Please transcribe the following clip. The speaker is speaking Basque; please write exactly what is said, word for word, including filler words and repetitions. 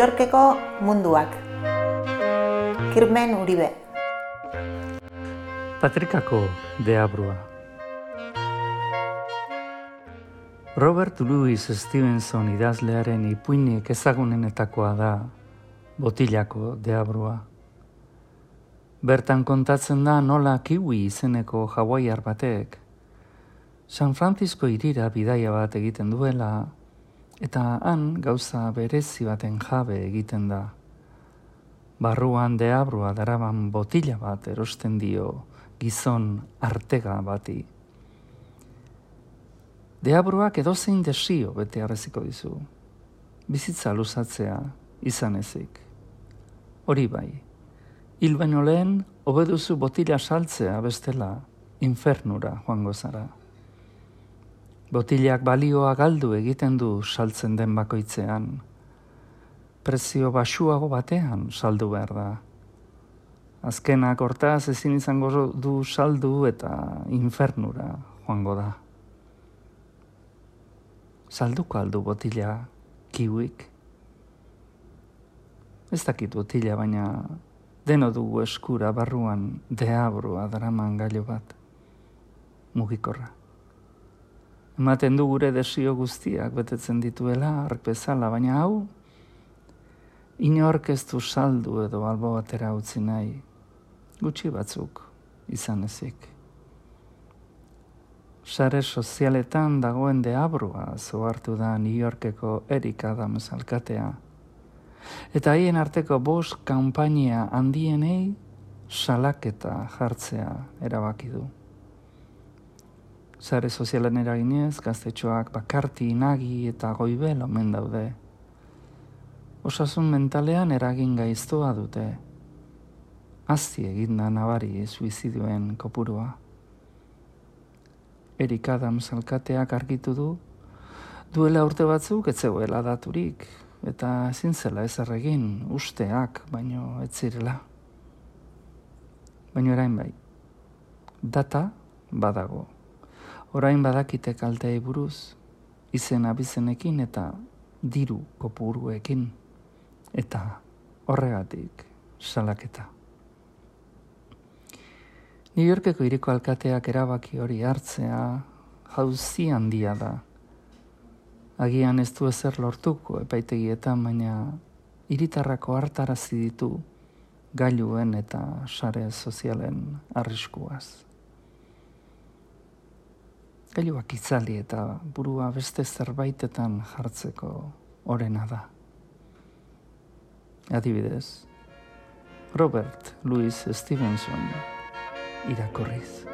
Yorkeko munduak. Kirmen Uribe. Patrikako deabrua. Robert Louis Stevenson idazlearen ipuinik ezagunenetakoa da Botilako deabrua. Bertan kontatzen da nola Kiwi izeneko hawaiar batek San Francisco hirira bidaia bat egiten duela, eta han gauza berezi baten jabe egiten da. Barruan deabrua daraban botila bat erosten dio gizon artega bati. Deabruak edozein desio bete arreziko dizu. Bizitza luzatzea izan ezik. Hori bai, hil baino lehen hobeduzu botila saltzea bestela infernura joango zara. Botilak balioa galdu egiten du saltzen den bakoitzean. Prezio baxuago batean saldu behar da. Azkenak hortaz ezin izango du saldu eta infernura joango da. Salduko aldu botila Kiwik? Ez dakit botila, baina deno dugu eskura barruan deabrua daraman gailu bat. Mugikorra. Ematen du gure desio guztiak betetzen dituela ark bezala, baina hau inork ez du saldu edo albo batera utzi nahi, gutxi batzuk izan ezik. Sare sozialetan dagoen deabrua zohartu da New Yorkeko Eric Adams alkatea, eta haien arteko bost kanpainia handienei salaketa jartzea erabaki du. Sare sozialen eraginez, gaztetxoak bakarti, inagi eta goibel omen daude. Osasun mentalean eragin gaiztoa dute. Azti eginda nabari suizidioen kopurua. Eric Adams alkateak argitu du, duela urte batzuk ez zegoela daturik, eta ezin zela ezer egin, usteak, baino ez zirela. Baino orain bai, data badago. Orain badakite kalteei buruz, izen abizenekin eta diru kopuruekin, eta horregatik salaketa. New Yorkeko hiriko alkateak erabaki hori hartzea jauzi handia da. Agian ez du ezer lortuko epaitegietan, baina hiritarrako hartarazi ditu gailuen eta sare sozialen arriskuaz. Gailuak itzali eta burua beste zerbaitetan jartzeko orena da. Adibidez, Robert Louis Stevenson irakurriz.